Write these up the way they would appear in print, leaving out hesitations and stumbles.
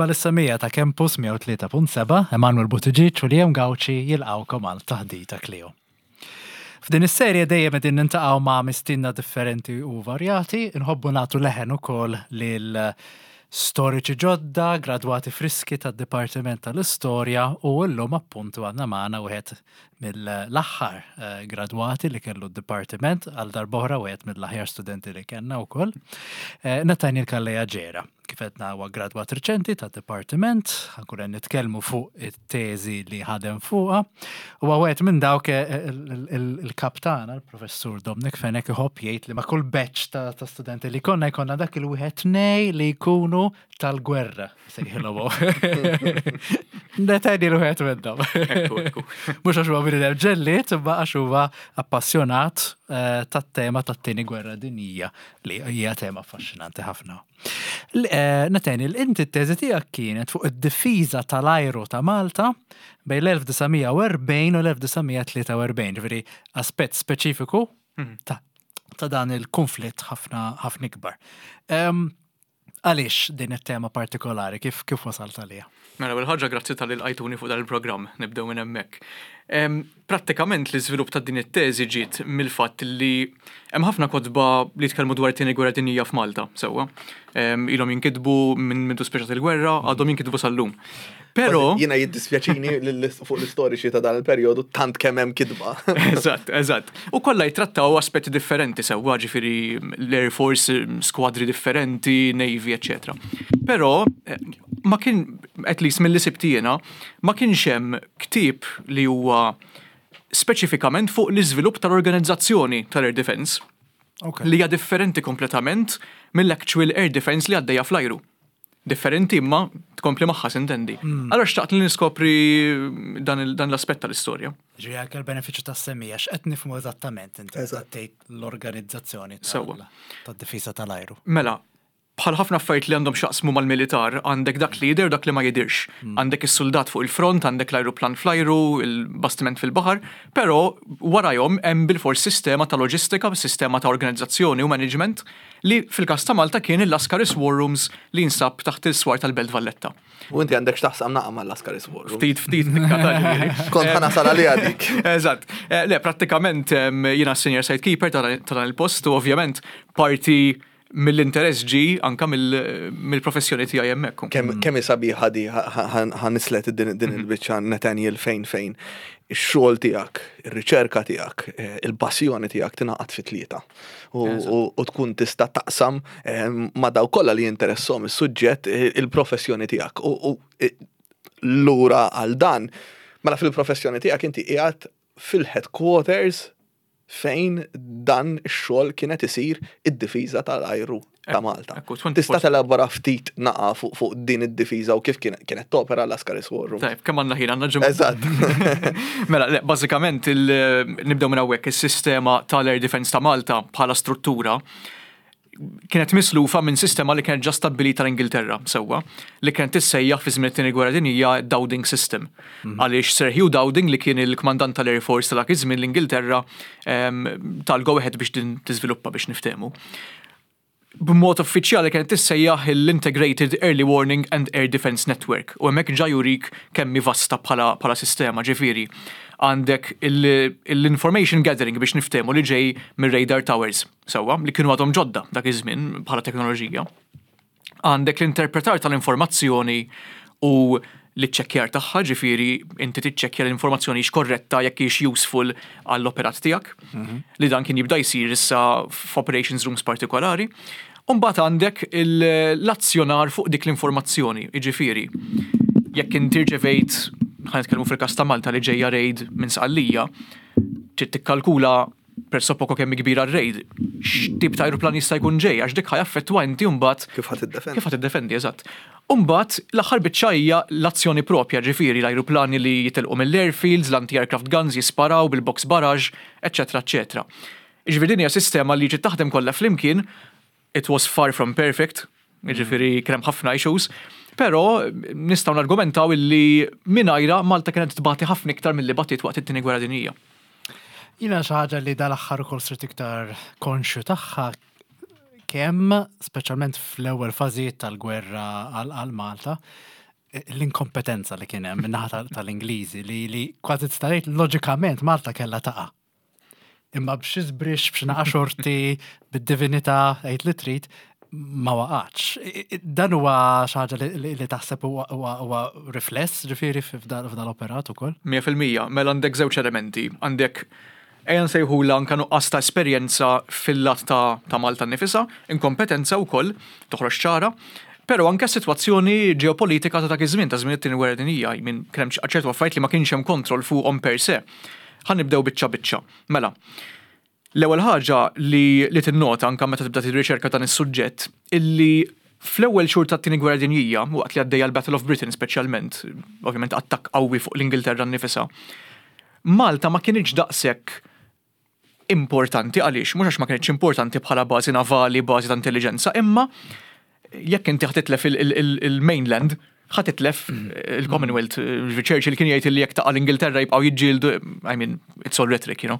Merħba lis-semmiegħa ta' Campus 103.7, Emanuel Buttigieg u Liam Gauci jilqgħukom għal Taħdita Clio. F'din is-serje dejjem qegħdin nintaqgħu ma' mistienna differenti u varjati, inħobbu nagħtu leħen ukoll lil storiċi ġodda, gradwati friski tad-Dipartiment tal-Istorja u llum appuntu għandna magħna wieħed mill-aħħar eh, gradwati li kellu d-dipartiment għal darb'oħra wieħed mill-aħjar studenti li kellna wkoll. Eh, Nathaniel Calleja Ġera, kif għedna huwa gradwat riċenti tad-dipartiment, ħankun qed nitkellmu fuq it-teżi li ħadem fuqha. Huwa wieħed minn dawk eh, il-kap tagħna, il-professur Dominic Fenech iħobb jgħid li ma' kull batch ta' studenti li konna jkollna dak il-wieħed nej li jkunu tal-gwerra, sejħilhom. Netani l-wieħed minnhom. Mhux għax huwa bniedem ġellied, imma għax huwa appassjonat eh, tat-tema tat-tieni gwerra dinjija li hija tema affaxxinanti ħafna. Eh, Netani, inti t-teżi tiegħek kienet fuq id-difiża tal-ajru ta' Malta bejn l-1940 u l-1943, ġifieri aspett speċifiku mhm. ta' dan il-konflitt ħafna ħafna ikbar. Għaliex din it-tema partikolari? Kif kif wasalt għaliha? Mela, ewwel ħaġa grazzi talli lqajtuni fuq dan il-programm, nibdew minn hemmhekk. Prattikament l-iżvilupp ta' din it-teżi ġiet mill-fatt li hemm ħafna kotba li jitkellmu dwar it-Tieni Gwerra Dinjija f'Malta, sewwa. Ilhom jinkitbu minn mindu spiċċat il-gwerra, għadhom jinkitbu sal-lum. Pero. Jiena jiddispjaċini fuq l-istoriċi ta' dan il-perjodu tant kemm hemm kitba. Eżatt, eżatt. U kollha jittrattaw aspetti differenti sewwa, ġifieri l-Air Force, skwadri differenti, Navy, eċċetera. Però eh, ma kien, at least mill-li sibt jiena, ma kienx hemm ktieb li huwa speċifikament fuq l-iżvilupp tal-organizzazzjoni tal-Air Defense. Li hija differenti kompletament mill-actual Air Defense li għaddejja fl-ajru. Differenti imma tkompli magħha sintendi. Mm. Allora xtaqt li niskopri dan l-aspett tal-istorja. Ġifieri anke l-benefiċċju tas-semija x'qed nifhmu eżattament inti tgħid l-organizzazzjoni tad-difiża tal-ajru. Mela, bħal ħafna affarijiet li għandhom xaqsmu mal-militar, għandek dak li jidher u dak li ma jidirx. Mm. Għandek is-suldat fuq il-front, għandek l-ajruplan fl-ajru, il-bastiment fil-baħar, però warajhom hemm bilfors sistema ta' loġistika, sistema ta' organizzazzjoni u management li fil-każ ta' Malta kien il-Lascaris War Rooms li jinsab taħt il-swar tal-Belt Valletta. U inti għandek x'taħsam naqa' mal-Lascaris War Rooms. Ftit ftit nikka ta' ġifieri. Kont ħa nasal għaliha dik. Eżatt. Eh, le, prattikament jiena s-senior site keeper ta' dan il-post u ovvjament parti mill-interess ġi anka mill-professjoni tiegħi hemmhekk. Kemm hi sabiħa di ħa nislet din mhm. il-biċċa Nathaniel fejn fejn ix-xogħol tiegħek, ir-riċerka tiegħek, eh, il-passjoni tiegħek tingħaqad fi tlieta. u tkun tista' taqsam eh, ma' daw kollha li jinteressom is-suġġett eh, il-professjoni tiegħek. U eh, lura għal dan, mela fil-professjoni tiegħek inti qiegħed fil-headquarters fejn dan ix-xogħol kienet isir id-difiża tal-ajru ta' Malta. Tista' telabora ftit naqa fuq din id-difiża u kif kienet topera l-Ascaris War Room. Tajb, kemm għandna ħin għandna ġimgħa. Eżatt. Mela, le, bażikament nibdew minn hawnhekk is-sistema tal-Air Defence ta' Malta bħala struttura kienet mislufa minn sistema li kienet ġa stabbilita l-Ingilterra sewwa, li kienet tissejjaħ fi żmien it-Tieni Gwerra Dinjija Dowding System. Mhm. Għaliex Sir Hugh Dowding li kien il-kmandant tal-Air Force ta' dak iż-żmien l-Ingilterra ehm, tal-go ahead biex din tiżviluppa biex niftehmu. B'mod uffiċjali kienet tissejjaħ l-Integrated Early Warning and Air Defence Network u hemmhekk ġa jurik kemm hi vasta bħala bħala sistema, ġifieri għandek l-information gathering biex niftehmu li ġej mir-radar towers, sewwa, li kienu għadhom ġodda dak iż-żmien bħala teknoloġija. Għandek l-interpretar tal-informazzjoni u l-iċċekkjar tagħha, ġifieri inti tiċċekkja l-informazzjoni hix korretta jekk hix useful għall-operat tiegħek, mhm. li dan kien jibda jsir issa f'operations rooms partikolari. U mbagħad għandek l-azzjonar fuq dik l-informazzjoni, jiġifieri jekk inti rċevejt, ħa nitkellmu fil-każ ta' Malta li ġejja raid minn Sqallija, trid tikkalkula pressappoco kemm hi kbira r-raid, x'tip ta' ajruplan jista' jkun ġej, għax dik ħa jaffettwa inti mbagħad. Kif ħa tiddefendi. Kif ħa tiddefendi, eżatt. U mbagħad l-aħħar biċċa hija l-azzjoni propja, ġifieri l-ajruplani li jitilqu mill-airfields, l-anti-aircraft guns jisparaw bil-box barrage, eċċetera eċċetera. Jiġifieri din hija sistema li trid taħdem kollha flimkien It was far from perfect, jiġifieri kien hemm ħafna issues, però nistgħu nargumentaw illi mingħajrha Malta kienet tbati ħafna iktar milli batiet waqt it-Tieni Gwerra Dinjija. Jiena xi ħaġa li dal-aħħar ukoll sirt iktar konxju tagħha. kemm, speċjalment fl-ewwel fażijiet tal-gwerra għal Malta, l-inkompetenza li kien hemm min-naħa tal-Ingliżi li li kważi tista' tgħid loġikament Malta kellha taqa'. Imma b'xi żbrixx, b'xi naqa' xorti, bid-divinità, għid li trid, ma waqgħatx. Dan huwa xi ħaġa li taħseb huwa rifless ġifieri f'dan l-operat ukoll? 100%, mela għandek żewġ elementi. Għandek ejja nsejħulha anke nuqqas ta' esperjenza fil-lat ta' Malta nnifisha, inkompetenza wkoll, toħroġ ċara, però anke s-sitwazzjoni ġeopolitika ta' dak iż-żmien, ta' żmien it-Tieni Gwerra Dinjija, I mean, kien hemm ċertu affarijiet li ma kienx hemm kontroll fuqhom per se. Ħa nibdew biċċa biċċa. Mela, l-ewwel ħaġa li li tinnota anke meta tibda tirriċerka dan is-suġġett illi fl-ewwel xhur tat-Tieni Gwerra Dinjija, waqt li għaddejja l-Battle of Britain speċjalment, ovvjament attakk qawwi fuq l-Ingilterra nnifisha, Malta ma kinitx daqshekk importanti għaliex mhux għax ma kinitx importanti bħala bażi navali, bażi ta' intelliġenza, imma jekk inti ħa titlef il-mainland, ħa titlef il-Commonwealth. Churchill kien jgħid li jekk taqa' l-Ingilterra jibqgħu jiġġieldu, I mean, it's all rhetoric, you know.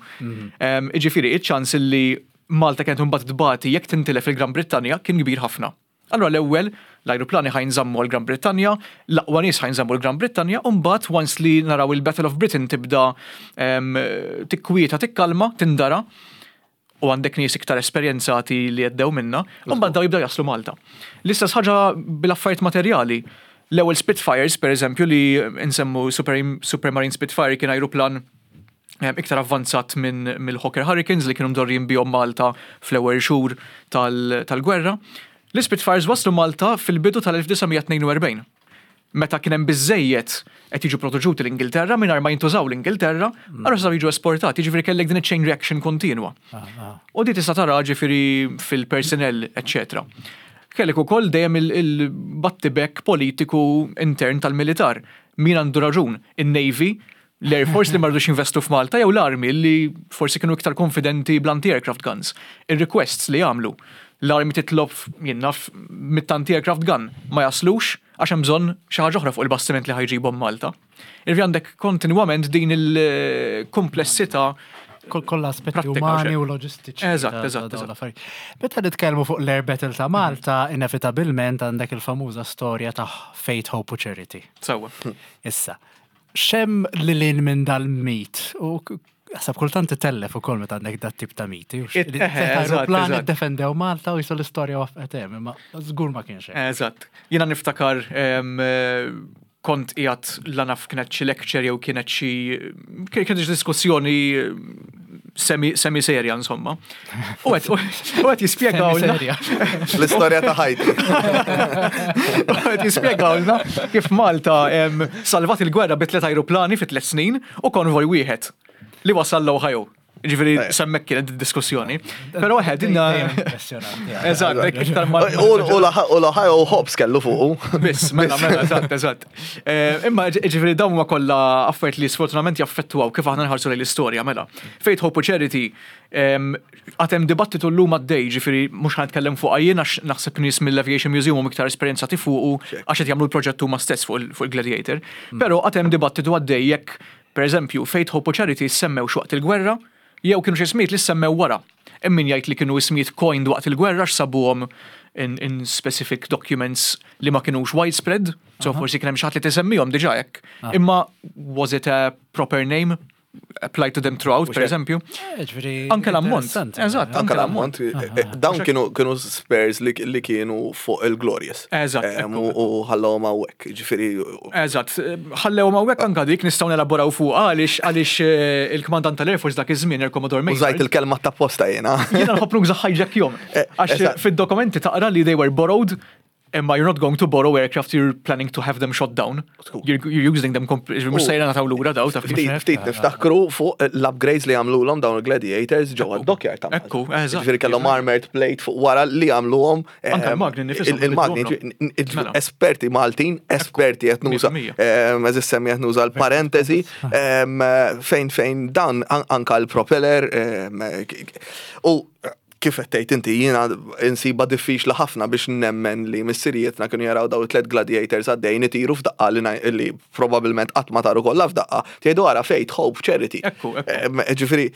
Jiġifieri, iċ-ċans li Malta kienet imbagħad tbati jekk tintilef il-Gran Brittanja kien kbir ħafna. Allura l-ewwel, l-ajruplani ħa jinżammu għall-Gran Brittanja, l-aqwa nies ħa jinżammu l-Gran Brittanja, u mbagħad once li naraw il-Battle of Britain tibda tikkwieta, tikkalma, tindara, u għandek nies iktar esperjenzati li għeddew minna, u mbagħad daw jibdew jaslu Malta. L-istess ħaġa bil-affarijiet materjali. L-ewwel Spitfires, per eżempju, li nsemmu Super, Supermarine Spitfire kien ajruplan iktar avvanzat minn mill-Hawker Hurricanes li kienu mdorrijin bihom Malta fl-ewwel xhur tal-gwerra. L-Spitfires waslu Malta fil-bidu tal-1942. Meta kien hemm biżżejjed qed jiġu proteġuti l-Ingilterra mingħajr ma jintużaw l-Ingilterra, allura setgħu jiġu esportati, jiġifieri kellek din iċ-chain reaction kontinwa. U di tista' tara ġifieri fil-personnel, eċċetera. Kellek ukoll dejjem il-battibekk politiku intern tal-militar. Min għandu raġun? In-Navy, l-Air Force li ma rridux jinvestu f'Malta jew l-Army li forsi kienu iktar konfidenti bl-anti-aircraft guns. Ir-requests li għamlu. L-Army titlob jien naf mit-anti-aircraft gun ma jaslux għax hemm bżonn xi ħaġa oħra fuq il-bastiment li ħa jġibhom Malta. Irvi għandek kontinwament din il-komplessità Kollha aspetti umani u loġistiċi. Eżatt, eżatt. eżatt. Meta nitkellmu fuq l-Air Battle ta' Malta, inevitabilment għandek il-famuża storja ta' Faith, Hope u Charity. Sewwa. Issa, x'hemm lil hinn minn dal-mit u Għasab kultant titellef ukoll meta għandek dat tip ta' miti. Aeroplan iddefendew Malta u jisu l-istorja wafqet hemm, imma żgur ma kienx hekk. Eżatt. Jiena niftakar kont qiegħed la naf kienet xi lecture jew kienet xi kienet xi diskussjoni semi semi serja insomma. U qed jispjegawlna. L-istorja ta' ħajti. U qed jispjegawlna kif Malta salvat il-gwerra bi tliet ajruplani fi tliet snin u konvoj wieħed li wasal l-Ohio. Ġifieri semmek kienet diskussjoni. Però eħe dinna. Eżatt, iktar ma. U l-Ohio Hobbs kellu fuqu. Biss, mela, mela, eżatt, eżatt. Imma ġifieri dawn huma kollha affarijiet li sfortunatament jaffettwaw kif aħna nħarsu lejn l-istorja, mela. Faith, Hope u Charity għad hemm dibattitu llum għaddej, ġifieri mhux ħa nitkellem fuqha jien għax naħseb nies mill-Aviation Museum huma iktar esperjenzati fuqu għax qed jagħmlu l-proġett huma stess fuq il-Gladiator. Però għad hemm dibattitu għaddej jekk, pereżempju, Faith, Hope u Charity ssemmewx waqt il-gwerra jew kienu xi ismijiet li ssemmew wara. Hemm min jgħid li kienu ismijiet coined waqt il-gwerra għax sabuhom in, in specific documents li ma kinux widespread, so forsi kien hemm xi ħadd li tisemmihom diġà hekk. Imma was it a proper name? Applied to them throughout, per eżempju. Eh, anke l-ammont. Eżatt, anke l-ammont. Eh, eh, dawn kienu kienu spares li kienu fuq il-Glorious. Eżatt. U ħallhom hawnhekk, ġifieri. Eżatt, ħallewhom hawnhekk anke dik nistgħu nelaboraw fuq għaliex għaliex il-kmandant tal-Air Force dak iż-żmien il-Commodore Maynard. Użajt il-kelma ta' posta jiena. Jiena nħobb nuża hijack jom. Għax fid-dokumenti taqra li they were borrowed Imma you're not going to borrow aircraft, you're planning to have them shot down. You're, you're using them, mux sejra nataw lura daw. Taf Ftit niftakru fuq l-upgrades li għamluhom dawn il-Gladiators ġewwa d-dockyard ta' Ekku, eżatt. Ġifieri kellhom armored plate fuq wara li għamluhom. Anke l-magni nifisom. Il-magni, mela. esperti Maltin, esperti qed nuża, eżis semmi qed nuża l-parentesi, fejn fejn dan anka l-propeller u Kif qed tgħid inti, jiena insiba diffiċli ħafna biex nemmen li missirijietna kienu jaraw daw it-tlet gladiators għaddejjin itiru f'daqqa li probabbilment qatt ma taru kollha f'daqqa, tgħidu ara faith, hope, charity. Ekku, ekku. Ġifieri,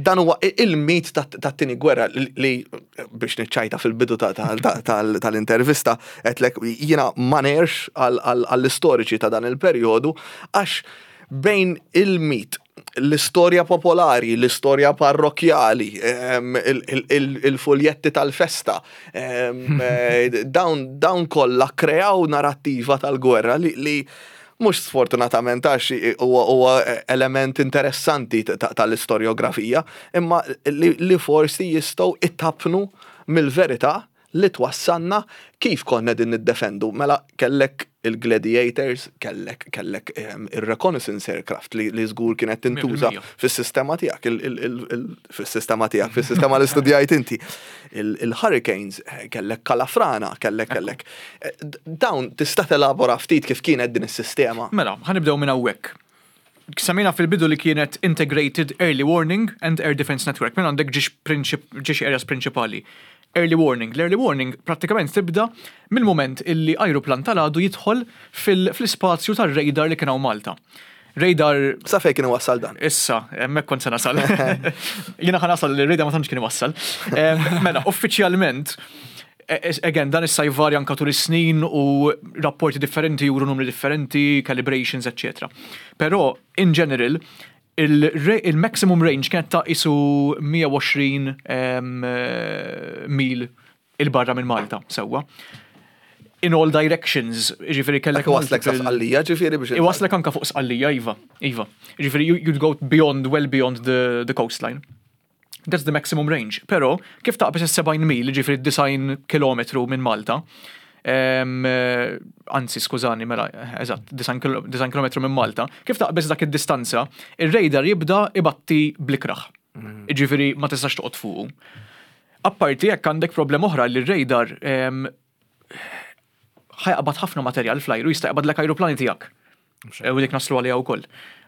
dan huwa il-mit tat-tieni gwerra li biex niċċajta fil-bidu tal-intervista, għedtlek jiena ma ngħirx għall-istoriċi ta' dan il-perjodu għax bejn il-mit, l-istorja popolari, l-istorja parrokjali, il-fuljetti tal-festa, dawn kollha kreaw narrattiva tal-gwerra li mhux sfortunatament għax huwa element interessanti tal-istorjografija, imma li forsi jistgħu ittapnu mill-verità li twassalna kif konna din niddefendu. Mela kellek il-Gladiators, kellek il-reconnaissance aircraft li żgur kienet tintuża fis-sistema tiegħek, fis-sistema tiegħek, fis-sistema li studjajt inti. Il-Hurricanes, kellek Kalafrana, kellek. Dawn tista' telabora ftit kif kienet din is-sistema? Mela, ħa nibdew minn hawnhekk. Semmejna fil-bidu li kienet Integrated Early Warning and Air Defense Network. Minn għandek ġiex areas prinċipali. Early warning. L-early warning prattikament tibda mill-moment illi ajruplan tal-għadu jidħol fl-ispazju tar-radar li kien hawn Malta. Radar. Sa fejn kien iwassal dan? Issa, hemmhekk kont se nasal. Jiena ħa nasal li r-radar ma tantx kien iwassal. Mela, uffiċjalment, again, dan issa jvarja anka tul is-snin u rapporti differenti juru numri differenti, calibrations, etc. Però, in general, il-maximum range kienet ta' isu 120 mil il-barra minn Malta, sewwa. In all directions, ġifieri kellek. Waslek sa Sqallija, ġifieri biex. Iwaslek anka fuq Sqallija, iva. Ġifieri, you'd go beyond, well beyond the coastline. That's the maximum range. Pero, kif taqbeż is-70 mil, ġifieri 90 kilometru minn Malta, anzi, skużani, mela, eżatt, 90 kilometru minn Malta, kif taqbeż dak id-distanza, ir-radar jibda ibatti blikraħ. Ġifieri ma tistax toqgħod fuqu. Apparti jekk għandek problema oħra li r-radar ħa jaqbad ħafna materjal fl-ajru, jista' jaqbadlek ajruplani tiegħek. U dik naslu għaliha wkoll.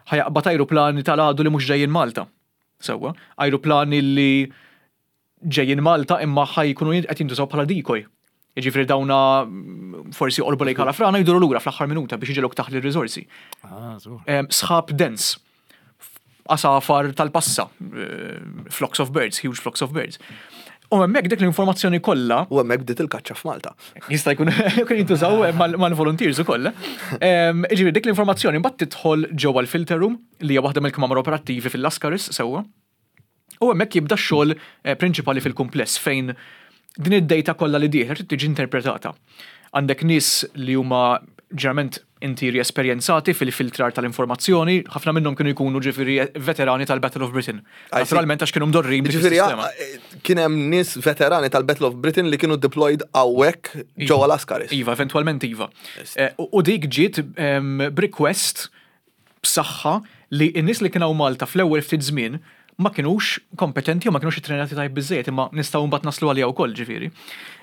Ħa jaqbad ajruplani tal-għadu li mhux ġejjin Malta. Sewwa, ajruplani li ġejjin Malta imma ħa jkunu qed jintużaw bħala decoy. Jiġifieri dawna forsi qorbu lejn Kalafrana jduru lura fl-aħħar minuta biex iġegħluk taħli r-riżorsi. Ah, żgur. Sħab dens, għasafar tal-passa, flocks of birds, huge flocks of birds. U hemmhekk dik l-informazzjoni kollha. U hemmhekk bdiet il-kaċċa f'Malta. Jista' jkun kien jintużaw mal-volunteers ukoll. Ġifieri dik l-informazzjoni mbagħad tidħol ġewwa l-filter room li hija waħda mill-kmamar operattivi fil-Lascaris sewwa. U hemmhekk jibda x-xogħol prinċipali fil-kumpless fejn din id-data kollha li dieħla trid tiġi interpretata. Għandek nies li huma ġeneralment intiri esperjenzati fil-filtrar tal-informazzjoni, ħafna minnhom kienu jkunu ġifieri veterani tal-Battle of Britain. Naturalment għax kienu mdorrin b'dik Ġifieri, is-sistema. Kien hemm nies veterani tal-Battle of Britain li kienu deployed hawnhekk ġewwa Lascaris. Iva, eventwalment iva. U dik ġiet b'request b'saħħa li n-nies li kienu Malta fl-ewwel ftit żmien ma kienux kompetenti u ma kienux ittrenati tajjeb biżejjed, imma nistgħu mbagħad naslu għaliha wkoll ġifieri.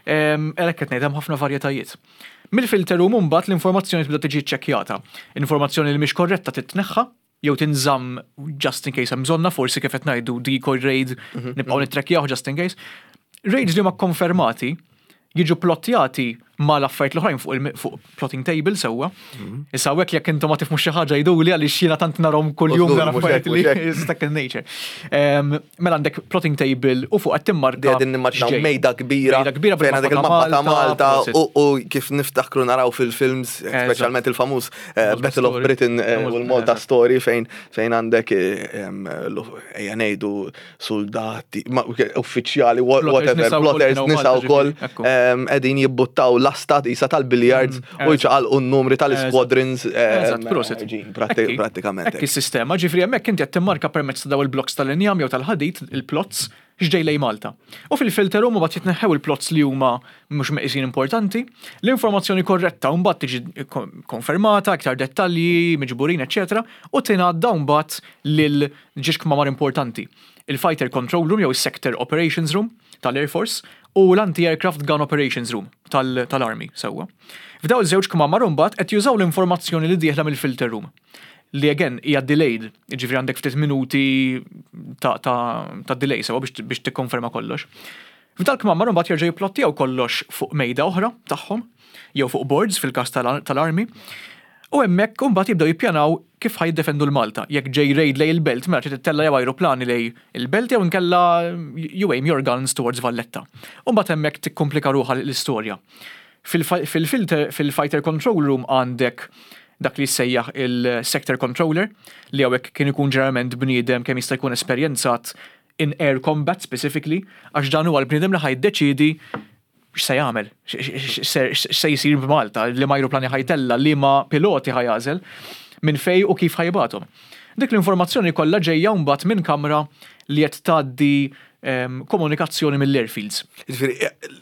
Għalhekk qed ngħid hemm ħafna varjetajiet. Mill-filter room mbagħad l-informazzjoni tibda tiġi ċċekkjata. Informazzjoni li mhix korretta titneħħa jew tinżamm just in case hemm bżonna, forsi kif qed ngħidu decoy raid, nibqgħu nittrekkjaw just in case. Raids li huma konfermati jiġu plottjati mal-affarijiet l-oħrajn fuq plotting table sewwa. Issa hawnhekk jekk intom ma tifhmux xi ħaġa jgħiduli għaliex jiena tant narhom kuljum Użgur, dan mhux affarijiet hekk, li mhux hekk. second nature. Mela għandek plotting table u fuq qed timmarka Qegħdin nimmaġinaw x'ġej. Mejda kbira, Mejda kbira fejn għandek bil-mappa il-mappa ta' Malta prosit. u kif niftakru naraw fil-films, speċjalment il-famuż Malta Battle of Story. Britain u l-Malta Story fejn għandek ejja ngħidu soldati, uffiċjali, Plotters whatever, nisa wkoll plotters kienu nisa Malta, wkoll, ġifieri, ekku. qegħdin jibbuttaw lasta isa tal-billiards u jċaqalqu n-numri tal-squadrons, Eżatt, prosit. ġin, Ekki. prattikament. Ekki s-sistema, ġifieri hemmhekk inti qed timmarka permezz ta' daw il-blocks tal-injam jew tal-ħadid, il-plots, x'ġej lej Malta. U fil-filter room mbagħad jitneħħew il-plots li huma mhux meqisin importanti, l-informazzjoni korretta mbagħad tiġi konfermata, iktar dettalji, miġburin, eċċetera, u tingħadda mbagħad lil ġiex kmamar importanti. Il-Fighter Control Room jew is-Sector Operations Room tal-Air Force u l-Anti-Aircraft Gun Operations Room tal-Army sewwa. F'daw iż-żewġ kmamar mbagħad qed jużaw l-informazzjoni li dieħla mill-filter room. Li again hija delayed, jiġifieri għandek ftit minuti ta', ta, ta delay sewa biex, biex tikkonferma kollox. F'dal-kmamar imbagħad jerġgħu jipplottjaw kollox fuq mejda oħra tagħhom, jew fuq boards fil-każ tal-army, u hemmhekk imbagħad jibdew jippjanaw kif ħa jiddefendu l-Malta. Jekk ġej raid lejn il-belt, mela trid ittella' jew ajruplani lejn il-belt jew inkella you aim your guns towards Valletta. U mbagħad hemmhekk tikkumplika ruħha l-istorja. Fil-fighter control room għandek dak li jissejjaħ il-sector controller, li hawnhekk kien ikun ġeneralment bniedem kemm jista' jkun esperjenzat in air combat specifically, għax dan huwa l-bniedem li ħa jiddeċiedi x'se jagħmel, x'se jsir b'Malta, liema ajruplani ħa jtella', liema piloti ħa jagħżel, minn fejn u kif ħa jibgħathom. Dik l-informazzjoni kollha ġejja mbagħad minn kamra li qed tgħaddi komunikazzjoni mill-airfields. Jiġifieri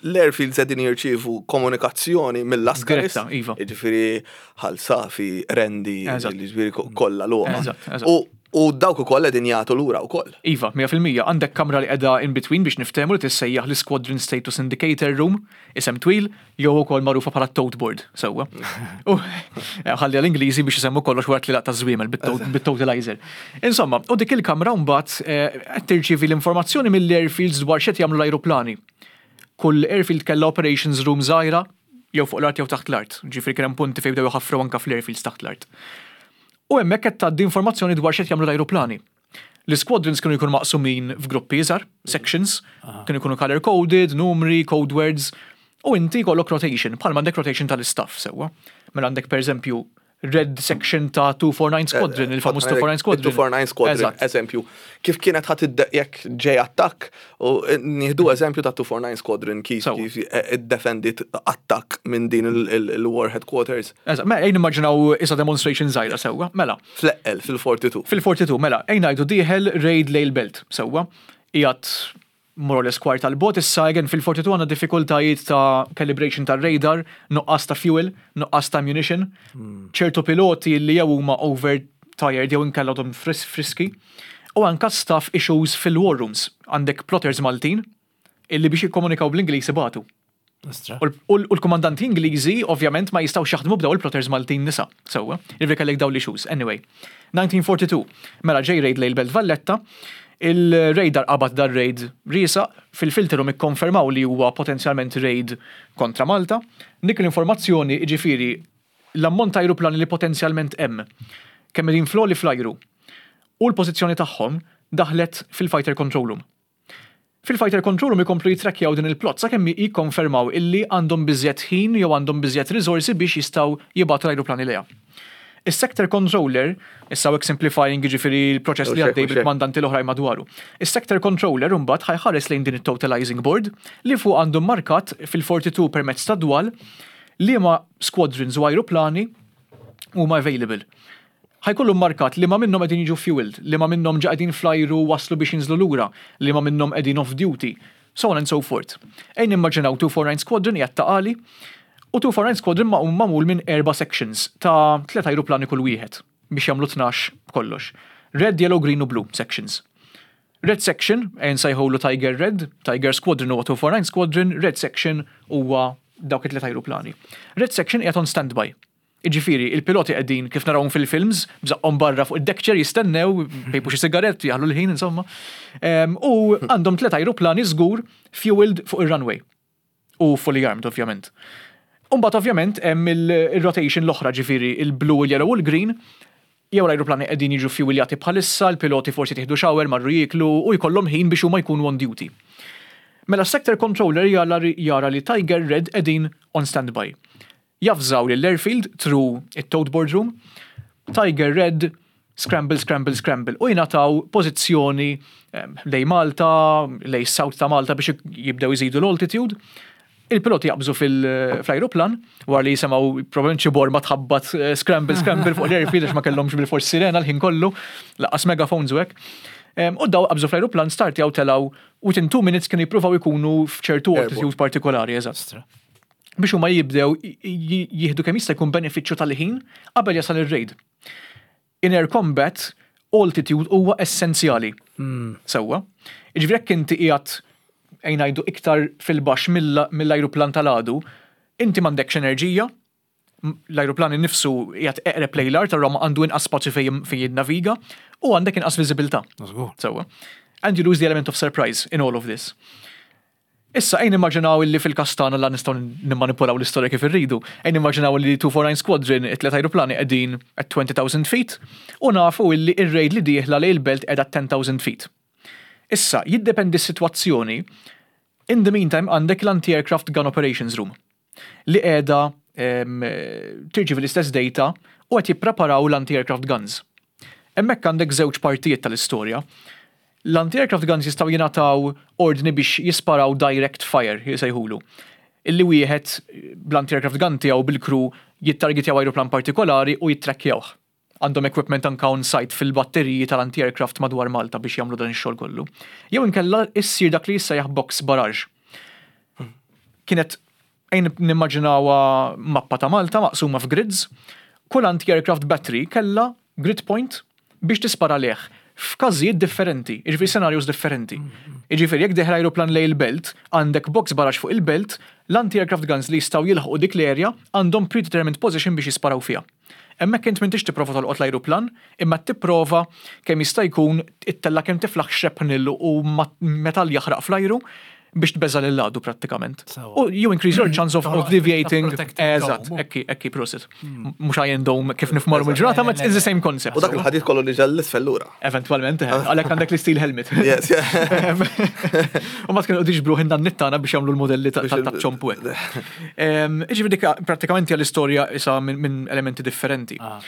l-airfields qegħdin jirċievu komunikazzjoni mill-Askaris. Diretta, iva. Jiġifieri Ħal Safi, Qrendi, jiġifieri kollha l-għoma. U dawk ukoll qegħdin jagħtu lura wkoll. Iva, 100%. Għandek kamra li qiegħda in between biex niftehmu li tissejjaħ l-Squadron Status Indicator Room, isem twil, jew ukoll magħrufa bħala tote board, sewwa. U ħalli għall-Ingliżi biex isemmu kollox wara t-tlielaq taż-żwiemel bit-totalizer. Insomma, u dik il-kamra mbagħad qed tirċievi l-informazzjoni mill-airfields dwar x'qed jagħmlu l-ajruplani. Kull airfield kellha operations room żgħira, jew fuq l-art jew taħt l-art. Ġifieri kien hemm punti fejn bdew iħaffru anke fl-airfields taħt l-art. U hemmhekk qed tgħaddi informazzjoni dwar x'qed jagħmlu l-ajruplani. L-isquadrons kienu jkunu maqsumin f'gruppi iżgħar, sections, kienu jkunu color coded, numri, code words, u inti jkollok rotation, bħalma għandek rotation tal-istaff sewwa. Mela għandek pereżempju red section ta' 249 Squadron, il-famuż 249 Squadron. 249 Squadron, eżempju. Kif kienet ħadd jekk ġej attakk, u nieħdu eżempju ta' 249 Squadron kif kif iddefendit attakk minn din il-War Headquarters. Eżatt, mela ejn nimmaġinaw isa demonstration żgħira sewwa, mela. Fl-eqqel, fil-42. Fil-42, mela, ejn ngħidu dieħel raid lejl belt, sewwa. Qiegħed more or less kwart tal-bogħod issa again fil-42 għandna diffikultajiet ta' calibration tar-radar, nuqqas ta' fuel, nuqqas ta' ammunition, ċertu piloti li jew huma over tired jew inkella għadhom friski, u anka staff issues fil-war rooms. Għandek plotters Maltin illi biex jikkomunikaw bl-Ingliż ibatu. U l-kumandanti Ingliżi ovvjament ma jistgħux jaħdmu b'daw il-plotters Maltin nisa, sewwa. Jiġifieri kellek dawn l-issues. Anyway, 1942, mela ġej raid lejn il-Belt Valletta, il-radar qabad dar-raid riesaq, fil-filterum ikkonfermaw li huwa potenzjalment raid kontra Malta. Dik l-informazzjoni, jiġifieri l-ammont ta' ajruplani li potenzjalment hemm, kemm qegħdin fl-għoli fl-ajru, u l-pożizzjoni tagħhom daħlet fil-fighter control room. Fil-fighter control room ikomplu jittrakkjaw din il-plot sakemm jikkonfermaw illi għandhom biżżejjed ħin jew għandhom biżżejjed riżorsi biex jistgħu jibagħtu l-ajruplani lejha. Is-sector controller, issa hawnhekk simplifying jiġifieri l-proċess li għaddej bil-kmandanti l-oħrajn madwaru. Is-sector controller imbagħad ħa jħares lejn din it-totalizing board li fuq għandu mmarkat fil-42 permezz tad-dwal liema squadrons u ajruplani huma available. Ħa jkollu mmarkat liema minnhom qegħdin jiġu fueled, liema minnhom ġa qegħdin fl-ajru u waslu biex jinżlu lura, liema minnhom qegħdin off duty, so on and so forth. Ejja nimmaġinaw 249 Squadron qiegħed Ta' Qali u 249 Squadron magħmul minn erba' sections ta' tliet ajruplani kull wieħed biex jagħmlu 12 b'kollox. Red, yellow, green u blue sections. Red section, ejja nsejħulu Tiger Red, Tiger Squadron huwa 249 Squadron, Red section huwa dawk it-tliet ajruplani. Red section qiegħed on standby. Jiġifieri, il-piloti qegħdin, kif narawhom fil-films, b'żaqqhom barra fuq id-deck chair jistennew, jpejpu xi sigarett, jaħlu l-ħin, insomma. U għandhom tliet ajruplani żgur fueled fuq ir-runway. U fully armed, ovvjament. U mbagħad ovvjament hemm il-rotation l-oħra, ġifieri il-blue, il-yellow u l-green, jew l-ajruplani qegħdin jiġu fueljati bħalissa, l-piloti forsi tieħdu shower, marru jieklu u jkollhom ħin biex huma jkunu on duty. Mela s-sector controller jara li Tiger Red qegħdin on standby. Javżaw lill-airfield through it-tote board room, Tiger Red, scramble, scramble, scramble, u jingħataw pożizzjoni lejn Malta, lejn is-south ta' Malta biex jibdew iżidu l-altitude. Il-piloti jaqbżu fl-ajruplan, wara li jisimgħu probabbilment xi borma tħabbat scramble, scramble fuq l-airfield għax ma kellhomx bilfors sirena l-ħin kollu, lanqas megaphones u hekk. U daw qabżu fl-ajruplan, startjaw telgħu within 2 minutes kienu jippruvaw ikunu f'ċertu altitude partikolari, eżatt. Biex huma jibdew jieħdu kemm jista' jkun benefiċċju tal-ħin qabel jasal ir-raid. In air combat, altitude huwa essenzjali. Sewwa. Jiġifieri jekk inti qiegħed ejn ngħidu iktar fil-baxx mill-ajruplan tal-għadu, inti m'għandekx enerġija. L-ajruplan innifsu qiegħed eqreb lejn l-art, allura għandu inqas spazju fejn jinnaviga u għandek inqas viżibilità. Sewwa. And you lose the element of surprise in all of this. Issa ejn nimmaġinaw illi fil-każ tagħna la nistgħu nimmanipulaw l-istorja kif irridu. Ejn nimmaġinaw illi 249 Squadron it-tliet ajruplani qegħdin at 20,000 feet u nafu illi ir-raid li dieħla lejn il-belt qiegħda at 10,000 feet. Issa, jiddependi s-sitwazzjoni, in the meantime għandek l-anti-aircraft gun operations room li qiegħda tirċievi l-istess data u qed jippreparaw l-anti-aircraft guns. Hemmhekk għandek żewġ partijiet tal-istorja. L-anti-aircraft guns jistgħu jingħataw ordni biex jisparaw direct fire, jsejħulu. Illi wieħed bl-anti-aircraft gun tiegħu bil-crew jittargetjaw ajruplan partikolari u jittrakkjawh. Għandhom equipment anke on site fil-batteriji tal-anti-aircraft madwar Malta biex jagħmlu dan ix-xogħol kollu. Jew inkella issir dak li jissejjaħ box barrage. Kienet ejn nimmaġinawha mappa ta' Malta maqsuma f'grids. Kull anti-aircraft battery kellha grid point biex tispara lejh f'każijiet differenti, jiġifieri scenarios differenti. Jiġifieri jekk dieħel ajruplan lejn il-belt, għandek box barrage fuq il-belt, l-anti-aircraft guns li jistgħu jilħqu dik l-area għandhom predetermined position biex jisparaw fiha. Hemmhekk int m'intix tipprova tolqot l-ajruplan, imma qed tipprova kemm jista' jkun ittella' kemm tiflaħ shrapnel u metall jaħraq fl-ajru biex tbeżża' lill-għadu prattikament. U you increase your chance of deviating. Eżatt, hekk hi, hekk hi, prosit. Mhux Iron Dome kif nifhmu llum il-ġurnata, ma it's the same concept. U dak il-ħadid kollu niżel 'l isfel lura. Eventwalment, eh, għalhekk għandek l-isteel helmet. Yes, U ma kienu jiġbru ħin dan nittana biex jagħmlu l-modelli ta' ċompu hekk. Ġifieri dik prattikament hija l-istorja isa minn elementi differenti. Ah.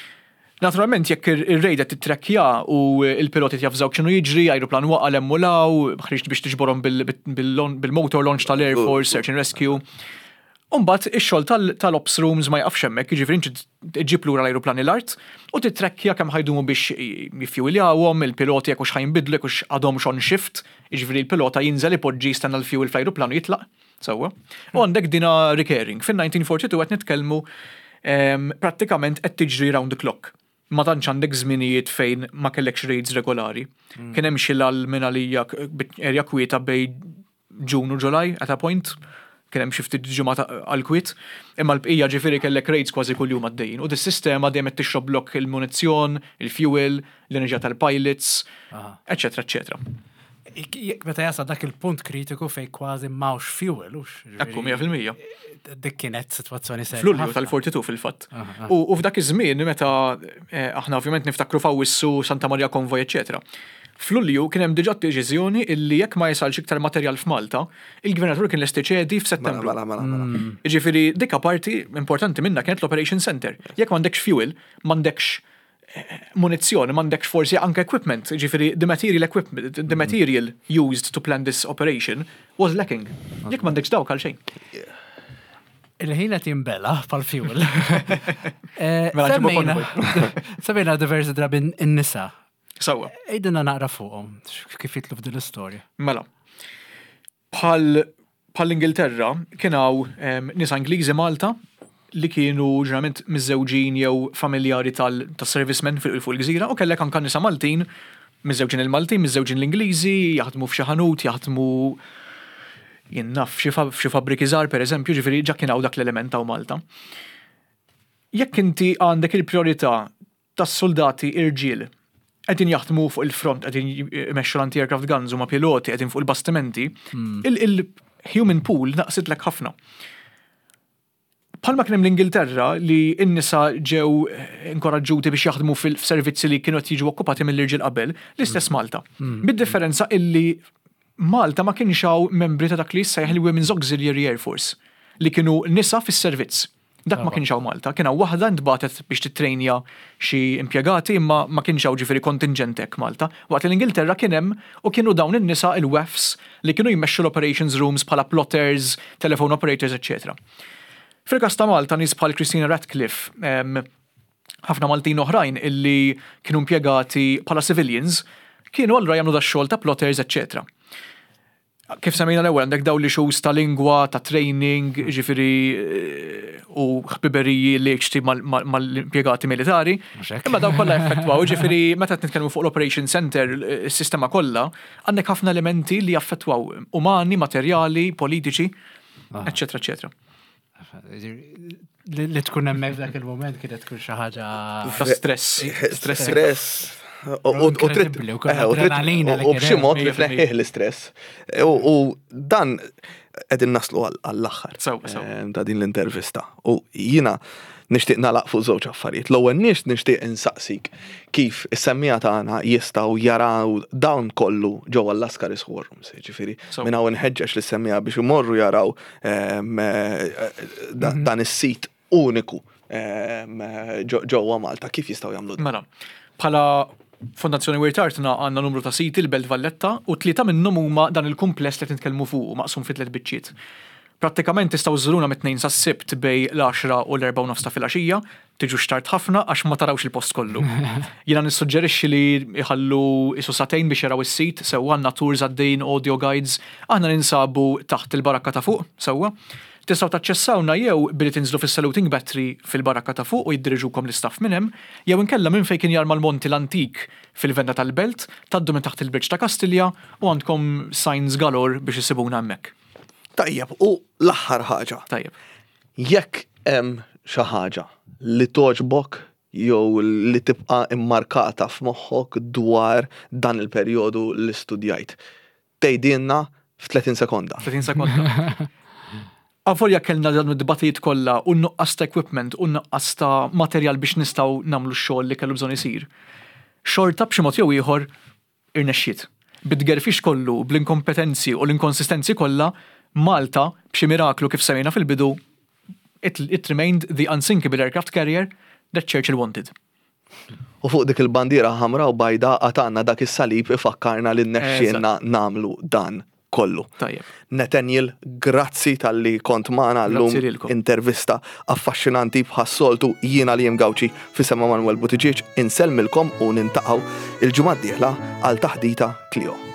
Naturalment, jekk ir-rejda titrekkja u il-piloti jafżaw x'inhu jiġri, ajruplan waqa' l law, ħriġt biex tiġborhom bil-motor launch tal-Air Force, Search and Rescue. Umbagħad ix-xogħol tal-ops rooms ma jaqafx hemmhekk, jiġifieri inti ġġib lura l-ajruplani l-art u titrekkja kemm ħa jdumu biex jiffjuwiljawhom, il-piloti jekk hux ħa jinbidlu, jekk hux għadhomx on shift, jiġifieri l-pilota jinżel ipoġġi jistenna l-fuel fl-ajruplan u jitlaq. Sewwa. U għandek dina recurring. Fin-1942 qed nitkellmu prattikament qed tiġri round the clock. Ma tantx għandek żminijiet fejn ma kellekx raids regolari. Kien hemm xi lal minn għalija area kwieta bejn June u July at a point, kien hemm xi ftit ġimgħat għall-kwiet, imma l-bqija ġifieri kellek raids kważi kuljum għaddejjin. U dis-sistema dejjem qed tixroblok il-munizzjon, il-fuel, l-enerġija tal-pilots, eċċetera eċċetera. Meta jasal dak il-punt kritiku fejn kważi m'hawnx fuel, hux? Ekku, 100%. Dik kienet sitwazzjoni serja. F'Lulju tal-42 fil-fatt. U f'dak iż-żmien meta eh, aħna ovvjament niftakru f'Awwissu, Santa Maria Convoy, eċċetera. F'Lulju kien hemm diġà deċiżjoni illi jekk ma jasalx iktar materjal f'Malta, il-Gvernatur kien lest iċedi f'Settembru. Mela, mela, mela. Mm. Jiġifieri dik parti importanti minnha kienet l-Operation Center. Jekk m'għandekx fuel, m'għandekx eh, munizzjoni, m'għandekx forsi anke equipment, jiġifieri the material equipment, the mm. material used to plan this operation was lacking. Jekk m'għandekx dawk għal xejn. Il-ħin qed jinbela pal fuel. Eh, mela, semmejna diversi drabi n-nisa. Sewwa. Għidilna naqra fuqhom, kif jitlu f'din l-istorja. Mela. Bħal bħall-Ingilterra kien hawn ehm, nisa Ingliżi Malta li kienu ġeneralment miżżewġin jew familjari tal-servicemen fuq il-gżira u kellek anka nisa Maltin miżżewġin il-Maltin, miżżewġin l-Ingliżi, jaħdmu f'xi ħanut, jaħdmu jien naf f'xi fabbriki żgħar pereżempju, ġifieri ġa kien hawn dak l-element hawn Malta. Jekk inti għandek il-priorità tas-suldati irġiel qegħdin jaħdmu fuq il-front, qegħdin imexxu l-anti-aircraft guns huma piloti qegħdin fuq il-bastimenti, hmm. il-human pool naqsitlek ħafna. Palma kien hemm l-Ingilterra li n-nisa ġew inkoraġġuti biex jaħdmu fil-servizzi li kienu qed jiġu okkupati mill-irġiel qabel, l-istess hmm. Malta. Hmm. Bid-differenza illi Malta ma kienx hawn membri ta' dak li jissejjaħ il-Women's Auxiliary Air Force li kienu nisa fis-servizz. Dak ma kienx hawn Malta, kien hawn waħda ntbagħtet biex tittrejnja xi impjegati imma ma kienx hawn ġifieri kontinġent hekk Malta. Waqt li l-Ingilterra kien hemm u kienu dawn in-nisa il-WAFs li kienu jmexxu l-operations rooms bħala plotters, telephone operators eċċetera. Fil-każ ta' Malta nies bħal Christina Ratcliffe, ħafna Maltin oħrajn illi kienu impjegati bħala civilians kienu allura jagħmlu dax-xogħol ta' plotters eċċetera. Kif semmejna l-ewwel għandek dawn l-issues ta' lingwa, ta' training, ġifieri eh, u ħbiberiji li ċti mal-impjegati militari. Imma dawn kollha effettwaw, ġifieri meta qed nitkellmu fuq l-Operation Center, eh, is-sistema kollha, għandek ħafna elementi li jaffettwaw umani, materjali, politiċi, eċetera, eċetera. Li tkun hemmhekk f'dak il-mument kienet tkun xi ħaġa. Ta' stress. Stress. Stress. U trid u b'xi mod li tneħħih l-istress. U dan qegħdin naslu għall-aħħar ta' din l-intervista. U jiena nixtieq nagħlaq fuq żewġ affarijiet. L-ewwel nies nixtieq insaqsik kif is-semmiegħa tagħna jistgħu jaraw dawn kollu ġewwa l-Lascaris War Rooms. Ġifieri minn hawn inħeġġeġ lis-semmiegħa biex imorru jaraw ehm, eh, mhm. dan is-sit uniku ehm, ġewwa Malta. Kif jistgħu jagħmlu dan? Mela, bħala Fondazzjoni Wirt Artna għandna numru ta' siti l-Belt Valletta u tlieta minnhom huma dan il-kumpless li qed nitkellmu fuqu maqsum fi tliet biċċiet. Prattikament tistgħu żżuruna mit-Tnejn sas-Sibt bejn l-għaxra u l-erbgħa u nofs ta' filgħaxija, tiġux tard ħafna għax ma tarawx il-post kollu. Jiena nissuġġerixxi li jħallu qisu sagħtejn biex jaraw is-sit, sewwa għandna tours għaddejjin, audio guides, aħna ninsabu taħt il-barakka ta' fuq, sewwa. Tistgħu taċċessawna jew billi tinżlu fis-Saluting Battery fil-barakka ta' fuq u jiddiriġukom l-istaff minn hemm, jew inkella minn fejn kien jarma l-monti l-antik fil-venda tal-Belt, tgħaddu minn taħt il-Bridge ta' Kastilja u għandkom signs galore biex issibuna hemmhekk. Tajjeb, u l-aħħar ħaġa. Tajjeb. Jekk hemm xi ħaġa li togħġbok jew li tibqa' immarkata f'moħħok dwar dan il-perjodu li studjajt, tgħidilna f'30 sekonda. 30 sekonda. Avolja kellna dawn id-dbatijiet kollha u n-nuqqas ta' equipment u n-nuqqas ta' materjal biex nistgħu nagħmlu x-xogħol li kellu bżonn isir. Xorta b'xi mod jew ieħor irnexxiet. Bit-tgerfix kollu, bl-inkompetenzi u l-inkonsistenzi kollha, Malta, b'xi miraklu kif semmejna fil-bidu, it, it remained the unsinkable aircraft carrier that Churchill wanted. U fuq dik il-bandiera ħamra u bajda għad għandna dak is-salib ifakkarna li rnexxielna nagħmlu dan kollu. Tajjeb. Nathaniel, grazzi talli kont magħna llum. Grazzi lilkom. Intervista affaxxinanti bħas-soltu jiena Liam Gauci f'isem Emanuel Buttigieg insellmilkom u nintaqgħu il-ġimgħa d-dieħla għal taħdita Clio.